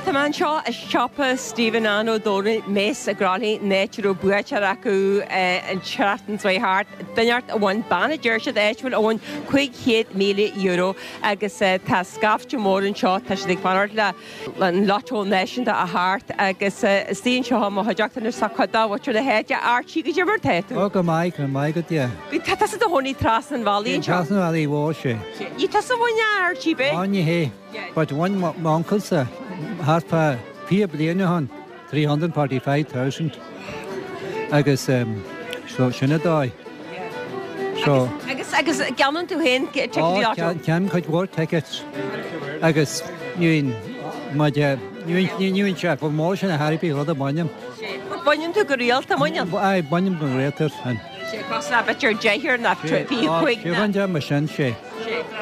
Tá mé anseo i siopa Stephen Ann Ó Dónaill, Mace i gCroithlí, an áit a raibh buaiteoir acu an tseachtain seo thart, duine inteacht a bhain, bean a deir siad áitiúil a bhain €500,000 agus tá scaifte mór anseo, tá siad ag fanacht le an Lotto Náisiúnta a theacht agus istigh anseo i mo chuideachta anois tá cuid de mhuintir na háite. Archie, goidé mar tá tú? Ó, go maith, go maith agat, yeah. Tá tusa i do chónaí trasna an bhealaigh anseo. Trasna an bhealaigh mhóir, sea. Ní tusa a bhain a Archie, b'é? Ó, ní hé. But bhain m'uncail-sa thart fá 20 bliain ó shin, 345,000 agus so sin an dóigh. So. Agus agus ceannaíonn tú féin ticéidí lotto? Ó, ceannaím cuid mhór tickets agus ní bhíonn ní bhíonn sé chomh mór sin ar chor ar bith rud a bhainim. Baineann tú go rialta, mbaineann? Aye, bainim go rialta. Sé cosúil le b'fhéidir deichniúr nó 25 ná. Sé rud mar sin, sé.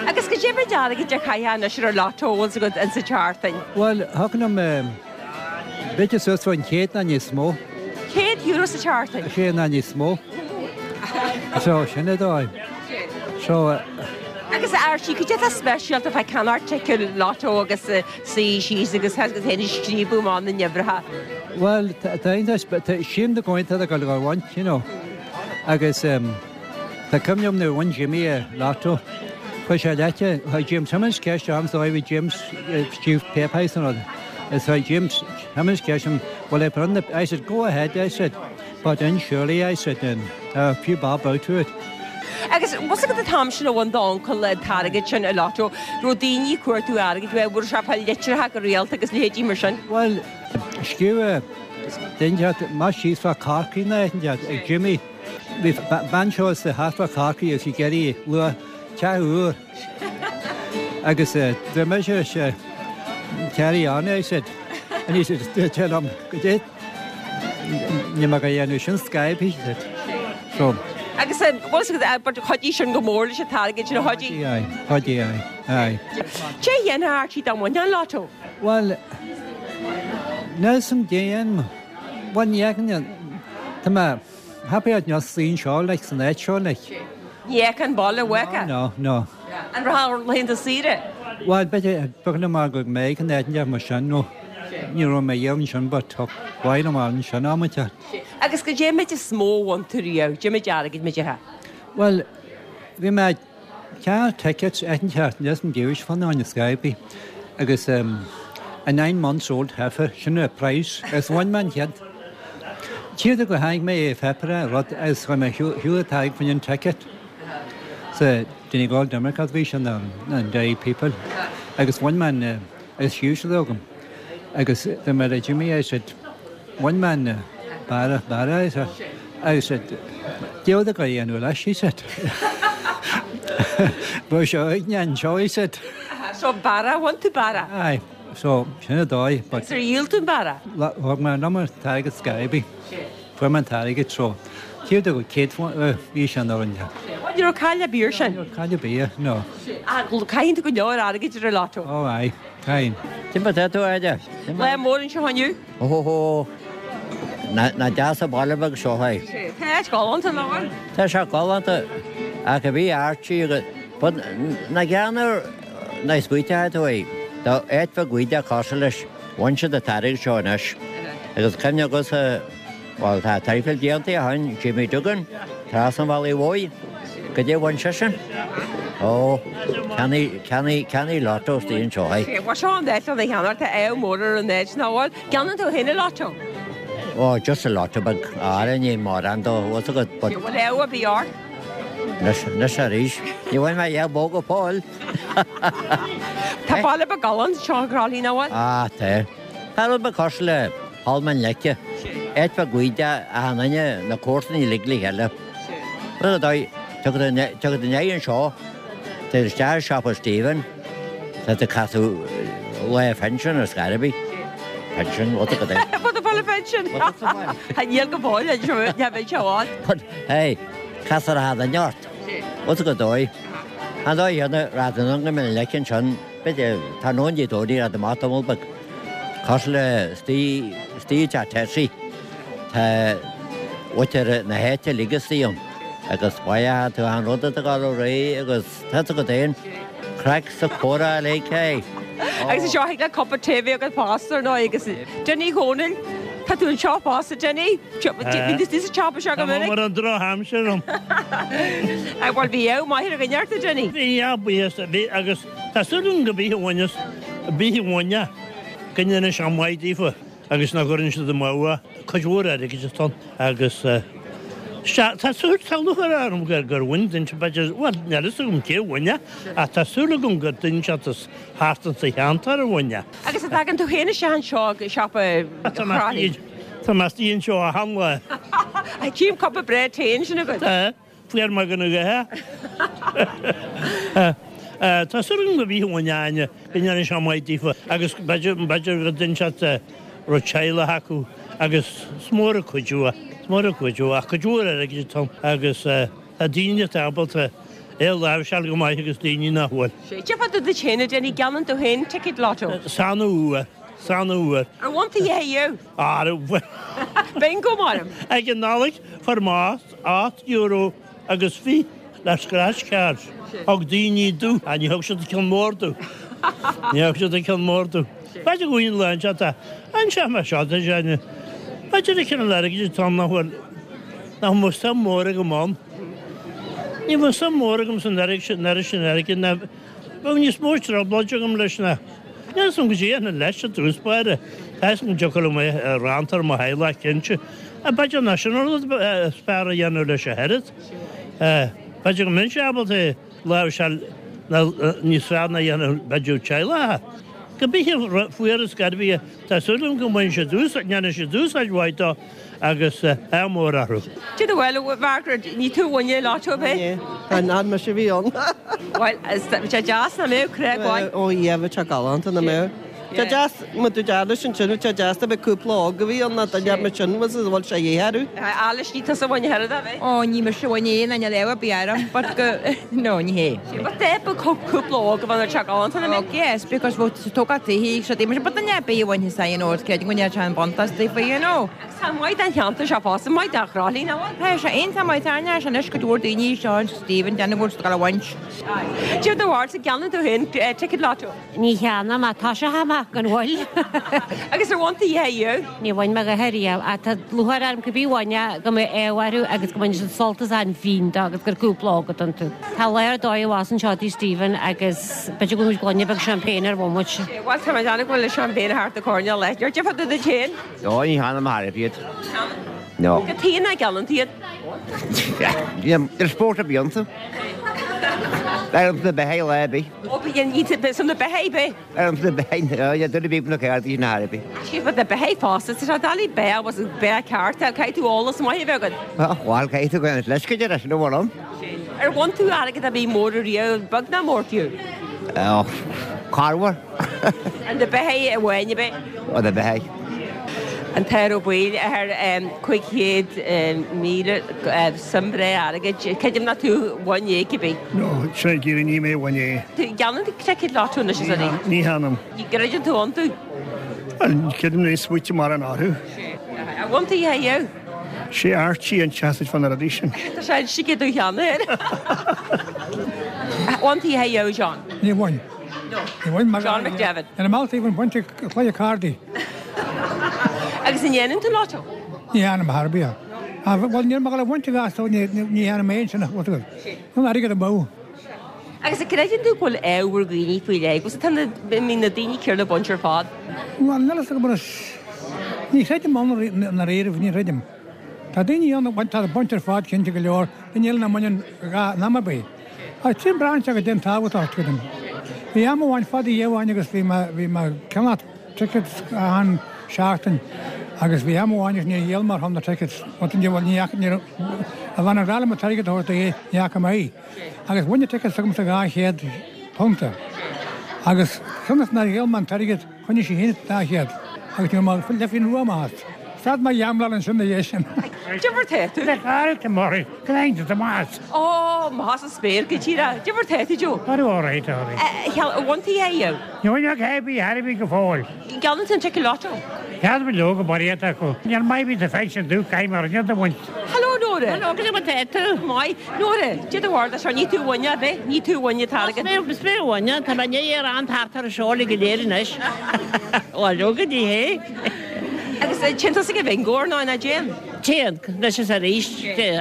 Agus goidé méid airgid a chaithfeá anois ar an lotto a bhfuil agat insa tseachtain? Bhuel, thiocfadh liom b'fhéidir suas faoin chéad nó níos mó. €100 sa tseachtain? Sé nó níos mó. So, sin é dóigh. So. Agus a Archie, cad é atá speisialta fá ceannacht ticéad lotto agus suí síos agus tá tú féin ag scríobadh amach na n-uimhreacha? Bhuel, tá iontach, sílim do go tá ag dul a bhaint, you know. Agus. Tá cuimhne agam nuair a bhain Jimmy an lotto. Chuir sé leite, chuir James Simmons ceist orm is dóigh bhí James Chief Paypal san rud. Is chuir James Simmons ceist orm, will I put on the, I said, go ahead, I said, but then surely, I said, then, a few bob out to it. Agus bhfuil agat an t-am sin a bhain d'uncail an t-airgead sin i lotto, raibh daoine ag cuartú airgid uaidh, raibh sé ag fáil litreacha go rialta agus leithéidí mar sin? Bhuel, scríobh duine amach síos fá Corcaigh ná ag Jimmy. Bhí bean seo sa thart fá Chorcaigh agus í ag iarraidh luach teach úr agus dúirt mise sé carry on I said and he said dúirt sé liom goidé níl mé ag dhéanamh sin Skype he said so Agus bhfuil a fhios agat but chuidigh sin go mór leis an t-airgead sin a chuidigh? Aye, chuidigh aye, aye. Cé dhéanfá Archie dá mbainfeá an lotto? Bhuel, níl 'fhios a'm déan, bhuel ní fheicim, tá mé Happy at níos suí anseo like san áit seo like. Ní fheicfeá an baile uait? No, no. An raibh ar laethanta saoire? Bhuel, b'fhéidir, b'fhéidir liom mar go mbeidh an áit mar sin nó ní raibh mé riamh ansin but tá mhaith liom ansin amanta. Agus goidé an méid is mó a bhain tú riamh, goidé méid airgid méid a? Bhuel, bhí mé Ceannacht tickets eitinte níos an Jewish fun on Skype agus a 9 months old heifer sin a price agus bhain mé an chéad Tíortha go tháinig mé é pheipire rud agus chuir mé shiúl an t-airgead faoin an ticket sa Donegal Democrat bhí sin an Derry People agus bhain mé an agus shiúil siad agam agus dúirt mé le Jimmy I said bhain mé an barra barra I said I said Deoda go dhéanamh leis he said Bhuel seo ag anseo he said So barra, bhain tú barra? Aye, so sin an dóigh but Is ar dhíol tú an barra? Thug mé an an t-airgead Skype fuair mé an t-airgead so céad go céad bhí sé an orange. Ní raibh caill ar bith air sin? Ní raibh caill ar bith, no. Ach caitheann tú go leor airgid ar an lotto? Oh aye, caitheann. Cad é mar tá tú, a Áine? Lá mór anseo inniu? Ó hó hó. Nach deas an baile beag seo é. Tá áit galánta, nach bhfuil? Tá sé galánta ach a bhí Archie agus but na gceann na smaoiteoidh tú é. Tá áit bheag bhídeach cosúil leis bhain siad an t-airgead seo anois agus cuimhne agatsa Bhuel, tá traidhfil déanta ó shin, Jimmy Duggan, trasna an bhealaigh mhóir, goidé a bhain seisean? Ó, ceannaigh, ceannaigh, ceannaigh lotto istigh anseo é. Bhuel, seo an áit lena cheannacht, tá ádh mór ar an áit, nach bhfuil? Ceannaíonn tú féin an lotto? Ó, just an lotto beag, ara ní mórán dó, bhfuil fhios agat, but. Bhfuil ádh ar bith ort? Anois, anois arís, ní bhain mé a dhath mó go fóill. Tá baile beag galánta anseo i gCroithlí, nach bhfuil? Ah, tá. Tá rud beag cosúil le Poll na Leice, áit bheag bhídeach achan duine, na comharsana uilig le chéile. Rud ar dóigh, tiocfaidh tú in anseo, téigh isteach i siopa Stephen, tá tú ag casadh lá phinsean ar scor ar bith. Pinsean, what a good é. What a full pension! Níl go fóill, ní bheidh sé ann. But, hey, castar achan duine ort. What a good dóigh. An dóigh chéanna, raibh tú in ann go mbeidh an leic ansin, b'fhéidir, tráthnóna Dé Domhnaigh, raibh tú amach tamall beag. Cosúil le istigh i dteach Tessie, tá muintir na háite uilig istigh ann agus faigheann tú achan rud atá ag dul ar aghaidh agus tá a fhios agat féin, craic 's comhrá uilig, hey. Agus anseo thig leat cupa tae a bheith agat fosta ar ndóigh agus Dinny Dhónaill, tá tú anseo fosta Dinny. Bhí tú sa tsiopa seo go minic. Tá mar an drochaimsir ann. Bhuel bhí ádh maith ar dhuine ort a Dinny. Bhí ádh buíochas bhí agus tá súil agam go bith a bhaineas bith a bhaine go ndéanfaidh sé maith daofa. agus nach gcuireann siad amú é, cuid mhór airgid atá ann agus sea, tá súil, tá lúcháir orm gur gur bhain duine, b'fhéidir, bhuel, níl a fhios agam cé a bhain é, ach tá súil agam gur duine inteacht as thart insa cheantar a bhain é. Agus an dtagann tú féin isteach anseo ag siopa Chroithlí? Tá mé istigh anseo achan lá. Tchím cupa breá tae ansin agat. Tá. Fuair mé go n-a Tá súil agam go bhfaighidh an Áine go ndéanfaidh sé maith daofa agus b'fhéidir b'fhéidir go dtuigeann siad raibh teaghlach acu agus is mór an cuidiú é, is mór an cuidiú ach cuid mhór airgid atá ann agus tá daoine atá ábalta é a láimhseáil go maith agus daoine nach bhfuil. Cad fá dtaobh duit féin a Dinny, gceannaíonn tú féin ticéad lotto? Is an-uair, is an-uair. Ar bhain tú a dhath ariamh? Ar bhain. Bingo maram. Ag an Nollaig fuair mé €8 agus 20 le scratch cards. Thug daoine domh, ach ní thug siad an ceann mór domh. Ní thug siad an ceann mór domh. B'fhéidir go bhfuil lá anseo atá anseo mar seo tá sé b'fhéidir an cineál airgid atá ann nach bhfuil nach mbeadh suim mór agam ann. Ní bheadh suim mór agam san airgead sin airgid ná bheadh níos mó trioblóid agam leis ná Níl 'fhios a'm goidé a dhéanfainn leis i dtús báire. Tá 'fhios agam go dtiocfadh liom é a roinnt ar mo theaghlach cinnte. B'fhéidir nach sin an rud is fearr a dhéanamh leis ach oiread. B'fhéidir go mbeinnse ábalta é a láimhseáil níos fearr ná a dhéanamh b'fhéidir teaghlach. Cibé fuarthas gairbhí, tá súil agam go mbainfidh siad úsáid, ndéanfaidh siad úsáid mhaith dó agus ádh mór orthu. Cad é bhuel, a Mhargaret, ní tú a bhain é lotto ab é? Ní mise a bhí ann. Bhuel, bhí sé deas nach mbeadh, crá mhaith. Ó yeah, bhí sé galánta nach mbeadh. Tá deas, má dúirt Alice ansin, bhí sé deas a bheith cúpla óg a bhí ann ná duine mar sin was a bhfuil sé a dhíth orthu. Alice, ní tusa a bhain a thuilleadh, ab é? Ó, ní mise a bhain é, ná níl ádh ar bith orm, but go, no, ní hé. But de ba cúpla óg a bheith ar sé galánta nach mbeadh? Oh yes, because bheadh tógáil tithe so but duine ar bith a bhainfeadh you know, creidim go ndéarfadh sé an buntáiste daofa, you know. Agus tá maith den cheantar seo fosta, maith dá Chroithlí, nach bhfuil? Tá sé iontach maith, tá aithne anois cuid mhór daoine seo in Stephen, déanamh go bhfuil siad ag dul a bhaint. Cad é do bharúilsa, an gceannaíonn tú féin ticket lotto? Ní cheannaím ach toiseochaidh mé gan mhoill. Agus ar bhain tú a dhath ariamh? Níor bhain mé a dhath ariamh ach tá lúcháir orm cibé a bhain é go mbeidh ádh orthu agus go mbainfidh siad sult as an bhfíon dó agus gur cúpla óg atá iontu. Tá lá ar dóigh abhus anseo tigh Stephen agus b'fhéidir go bhfuil muid gloine beag champagne ar bhomaite. Bhuel tá mé ag déanamh go bhfuil an champagne thart an choirnéal leis. Cad é fá dtaobh duit féin? Ó, ní cheannaím ar bith iad. No. Cad chuige nach gceannaíonn tú iad? Níl spórt ar bith iontu. Ar na beithígh lá ar bith. Ó, bíonn iad san na beithígh bith. Ar na beithígh, yeah, duine ar bith na ceardaí sin ar bith. Sea, but na beithígh fosta, tá sé doiligh beith agus beith ceart, caithfidh tú eolas maith a bheith agat. Bhuel, caithfidh tú go leis go deireadh, sin a bhfuil ann. Ar bhain tú airgead ar bith mór ariamh, beag ná mór fiú? Ó, corruair. Ar na beithígh amháin ab é? Ó, na beithígh. An tAthair Ó Baoill, athair 500,000 suim bhreá airgid. Creidim nach tú a bhain é cibé. No, sin é díreach, ní mé a bhain é. Gceannaíonn tú ticéad lotto anois is arís? Ní cheannaím. Ní gcreideann tú iontu? Bhuel, creidim níos smaointe mar an orthu. Ar bhain tú a dhath ariamh? Sé Archie an tseasaid fá na rudaí sin. Tá sé inste aige cheana air. Ar bhain tú a dhath ariamh, John? Níor bhain. Ní bhain mar John McDevitt. Ar an mbealach taobh an bhaint ag cluiche cárdaí. Agus an ndéanann tú lotto? Ní dhéanaim ar bith. Bhuel níl mé ag dul a bhaint a mheas ní dhéanaim aon sin ach rud an airgead amú. Agus an gcreideann tú go bhfuil ádh ar dhaoine faoi leith agus tá na na daoine céanna ag baint ar fad? Bhuel níl a fhios agam anois. Ní chreidim ann i ndáiríribh, ní chreidim. Tá daoine ann a bhaint tá ag baint ar fad cinnte go leor, daoine eile nach mbaineann in am ar bith. Ach sin braitheann sé goidé an tábhacht atá creidim. Bhí am amháin fada amháin agus bhí mé bhí mé ag ceannach tickets achan seachtain agus bhí am amháin agus níor dhíol mé ar shon na tickets bhuel ní bhuel ní fhaca ní raibh a bhean a rá liom an t-airgead a thabhairt di ní fhaca mé í. Agus bhain na tickets agamsa 200 punta agus cionn is nár dhíol mé an t-airgead Choinnigh sí féin an 200 agus ní raibh mé leithphinne rua amach as. Stad mé gambláil ansin ina dhiaidh sin. Cad é mar tá tú? Le cara to Murray, go lean to Tomás. Ó, maith sa spéir go díreach. Cad é mar tá tú, Joe? Tá all right, all right. Ar bhain tú a dhath ariamh? Ní bhain ach ar bith ar bith go fóill. An gceannaíonn tú an ticéad lotto? Ceann go leor go barraíocht acu. Níl maith bhí sa phension dú, caithfidh mé rud a bhaint. Hello, no. Nóra. Hello, cad é mar tá tú? Maith. Nóra, cad é do bharúil seo, ní tú a bhain, ab ea? Ní tú a bhain an t-airgead. Is mé a bhain, tá mé i ndiaidh é a thart ar an seol go léir anois. Bhuel, go dtí é. Agus téann tusa ag an bhingo ar ndóigh, nach dtéann? Téann, anois is arís,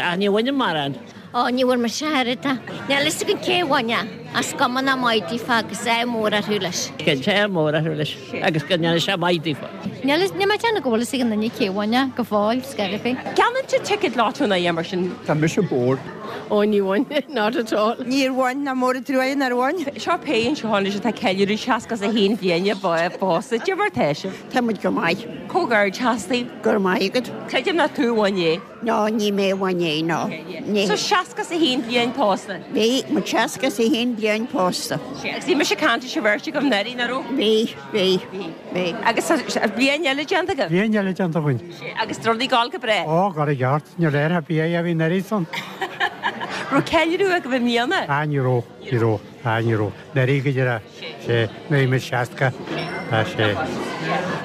ach ní bhainim mórán. Ó, ní bhfuair mise a oiread de. Níl fhios agam cé a bhain é, ach is cuma nach maith daofa agus ádh mór orthu leis. Cinnte, ádh mór orthu leis agus go ndéana sé maith daofa. Níl fhios, níl mé ag déanamh go bhfuil fhios ag aon duine cé a bhain é, go fóill, scor ar bith. Ceannaíonn tú ticket lotto nó mar sin? Tá mise bored. Ó, ní bhain, not at all. Níor bhain, nach mór an truaighe nár bhain. Seo péire anseo anois atá ag ceiliúradh 61 bliain pósta. Cad é mar tá sibh? Tá muid go maith. Comhghairdeas daoibh. Go raibh maith agat. Creidim nach tú a bhain é. No, ní mé a bhain é, no. Ní. So 61 bliain pósta? Bhí, muid 61 bliain pósta. Agus bhí mise ag caint leis an bheirt agaibh anuraidh, nach raibh? Bhí, bhí, bhí. Agus tá bliain eile déanta agaibh? Bliain eile déanta againn. Agus tá rudaí ag gabháil go breá? Ó, gar i gceart, níor léir a bia a bhí anuraidh san. Raibh ceiliúradh agaibh i mbliana? Ah, ní raibh, ní raibh, ah, ní raibh. Anuraidh go deireadh, sé, 1960, ah, sé.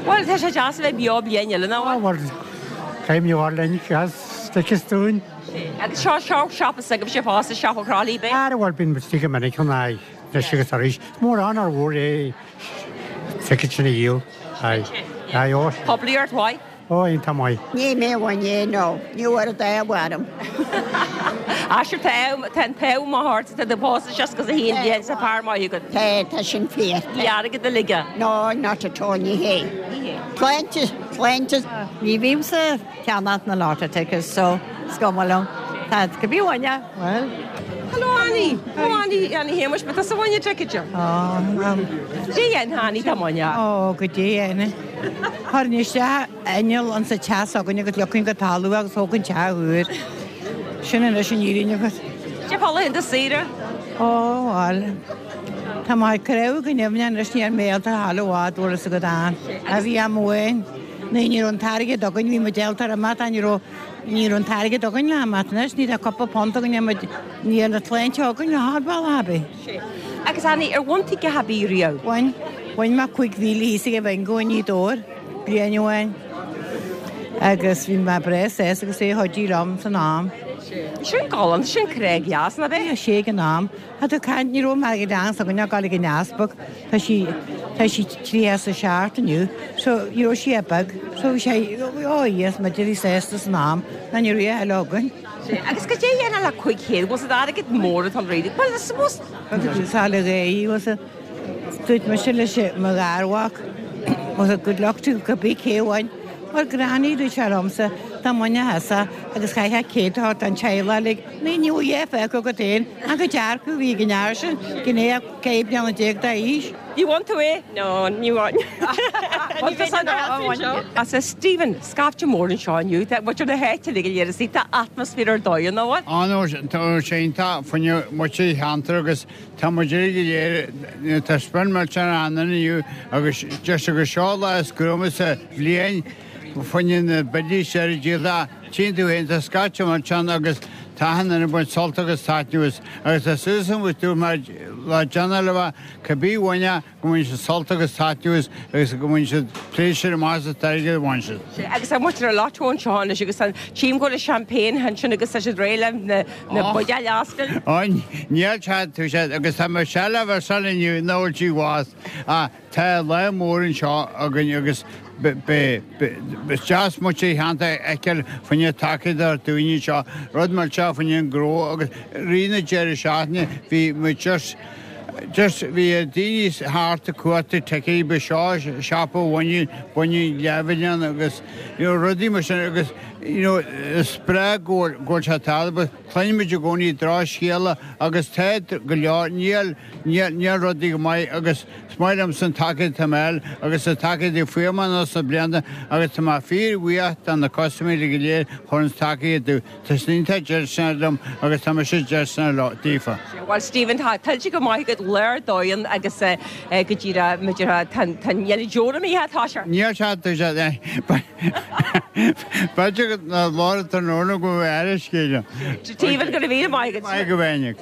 Bhuel, tá sé deas a bheith beo bliain eile, nach bhfuil? Ah, bhuel, caithfidh mé a rá linn, as stick dúinn. Agus seo, seo siopa s'agaibhse fosta, siopa Chroithlí, b'é? Ah, bhuel, bíonn muid istigh go minic ann, aye, anois agus arís. Is mór ann ár bhfuair é ticket sin a dhíol, aye, aye, ó. Poiblíocht mhaith. Ó, iontach maith. Ní mé a bhain é, no. Ní bhfuair an dá mharam. Ah sure, tá tá an t-ádh maith ort, tá tú pósta 61 bliain is tá fear maith agat. Tá, tá sin fíor. Ní airgead uilig é. No, not at all, ní hé. Sláinte, sláinte. Ní bhímse ag ceannach na lottery tickets so is cuma liom. Tá cibé a bhain é, well. Hello Annie! Hello Annie, Annie Shéamuis, ba tusa a bhain an ticket seo? Ó, um. Dé dhéan Annie tá muine. Ó, go dé Annie. Chuirfinn isteach inneall insa teach s'againne agus leagfainn go talamh é agus thógfainn teach úr. Sin anois an fhírinne agat. Cé fáth laethanta saoire? Ó, bhuel, tá mé ag creideamh go ndeimhin anois ní raibh mé ábalta a ghabháil i bhfad, bhfuil fhios agat ann. A bhí am amháin, ní ní raibh an t-airgead againn, bhí muid ábalta ar imeacht ach ní raibh, ní raibh an t-airgead againn le himeacht anois, ní raibh cúpla punt againn, muid, ní raibh na tsláinte againn le haghaidh bealach ar bith. Sea. Agus Annie, ar bhain tú a dhath ar bith riamh? Bhain. Bhain mé 5,000 thíos ag an bhingo i nGaoth Dobhair bliain amháin agus bhí mé breá sásta agus é a chuidigh liom san am. Sin galánta, sin craic dheas, nach ea? Bhí sé ag an am. Tá tú ag caint, ní raibh mé ag an s'againne ag dul ag an easpag, tá sí, tá sí 37 inniu, so ní raibh sí ach beag, so bhí sé, ó yes, muid a bhí sásta san am, ná ní raibh a thuilleadh againn. Agus cad é a dhéanfá le 500, bhfuil siad airgead mór atá ann really? Well, I suppose. Sáile Ghaoth, bhfuil siad, dúirt mise leis mo gharmhac, bhfuil siad good luck to cibé cé a bhain. Bhuel, Granny, dúirt sé liomsa, dá mbainfeá thusa agus chaithfeá 100 a thabhairt don teaghlach uilig, ní ní bheadh fágtha agat féin ach an dearcadh a bhí ag an fhear sin, gné 15 bliana d'aois. You want to é? No, ní bhain. As a Stephen, scaifte mór anseo inniu, tá muid ar na háite uilig go léir is tá atmaisféar ar dóigh ann, an bhfuil? Tá sé iontach fá choinne muintir an cheantair agus tá muid uilig go léir, tá spion millteanach ann inniu agus deir siad gur seo lá is gruama sa bhliain fá choinne na billí seo a dhíol. Tchíonn tú féin, tá scaifte millteanach agus tá achan duine ag baint sult agus taitneamh as agus tá súil agam agus dúirt mé le déanamh le bheith Cibé a bhain é, go mbain siad sult agus taitneamh as agus go mbain siad pléisiúr amach as an t-airgead a bhain siad. Agus tá muintir an lotto anseo anois agus tá tchím go bhfuil champagne ansin agus tá siad réidh le na buidéil a oscailt. Ó, níl sé, tá sé, agus tá mé seilbh ar son inniu, nach bhfuil sí bhás. Ach tá lá mór anseo againn agus is deas muintir an cheantair a fheiceáil fá choinne tacaíocht a thabhairt dúinn anseo, rud millteach fá choinne an gnó agus rith na deireadh seachtaine bhí muid just Just bhí daoine thart ag cuartú ticéid ba seo siopa bhaineann baineann leathmhilliún agus you know rudaí mar sin agus you know is breá go bhfuil go bhfuil sé tarlaithe but cluinimid i gcónaí drochscéala agus tá go leor níl níl níl rudaí go maith agus is maith liomsa an tacaíocht atá mé a fháil agus an tacaíocht a fuair mé anuas na blianta agus tá mé fíorbhuíoch do na custaiméirí go léir a chuireann tacaíocht domh. Tá siad iontach déistineach liom agus tá mise déistineach leo, daofa. Bhuel Stephen, tá tuillte go maith agat lá ar dóigh ann agus go díreach, b'fhéidir, tá an deora imithe, tá sé. Níl sé, tá sé, b'fhéidir go na lár an tráthnóna go bhfuil aire scéal. Stephen, go raibh míle maith agat. Maith go bhféinig.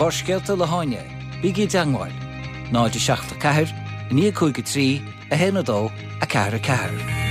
Barrscéalta le hÁine, bígí i dteangmháil, 0 7 4 9 5 3 1 2 4 4.